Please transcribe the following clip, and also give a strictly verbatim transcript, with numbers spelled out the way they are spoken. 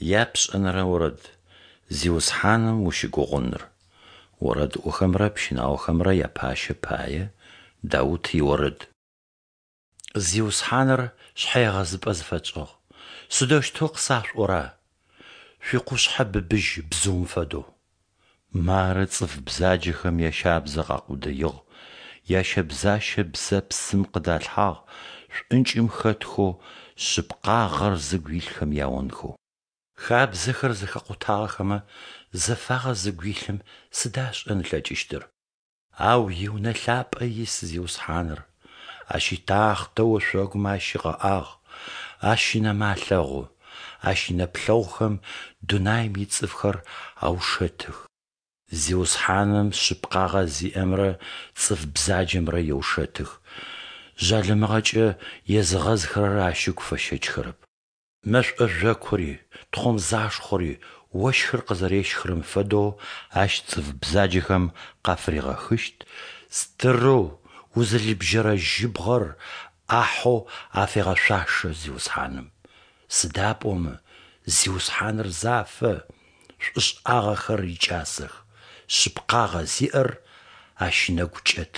Япшӏэнэрэ орэд. Зиусхьаным ущыгугъыныр. Орэдыӏохэмрэ пщынаохэмрэ япащэ пае. Даут иорэд. Зиусхьаныр шъхьэегъэзыпӏэ зыфэтшӏыгъ. Сыдэущтэу къысашъуӏора: «Шъуикъушъхьэ быбыжь бзыум фэдэу». Мары цӏыф бзаджэхэм ящабзэ къакъудыигъ, ящэбзащэ бзэпсым къыдалъхьагъ, шӏункӏым хэтхэу шъыпкъагъэр зыгу илъхэм яонхэу. Хабзэхэр зэхэкъутагъэхэмэ, зэфагъэ зыгу илъым сыда ышӏэн ылъэкӏыщтыр? Ау и Унэ лъапӏэ ис Зиусхьаныр, Ащ итахътэ ошъогумэ ащигъэӏагъ, Ащ ынэмэ алъэгъу, Ащ инэплъэгъухэм дунаим ицӏыфхэр аушэтых. Зиусхьаным шъыпкъагъэ зиӏэмрэ цӏыф бзаджэмрэ еушэтых, жъалымыгъэкӏэ езыгъэзыхэрэр Ащ ыгу фэщэчхэрэп. Мэшӏо жъокури, тхъомзашхъори, ощхыр къызэрещхырэм фэдэу Ащ цӏыф бзаджэхэм къафыригъэхыщт, стырэу, узылыбжьэрэ жьыбгъэр ӏахьэу афегъэшъуашэ Зиусхьаным. Сыда пӏомэ Зиусхьаныр зафэ, шӏушӏагъэхэр икӏасэх, шъыпкъагъэ зиӏэр Ащ ынэгу кӏэт.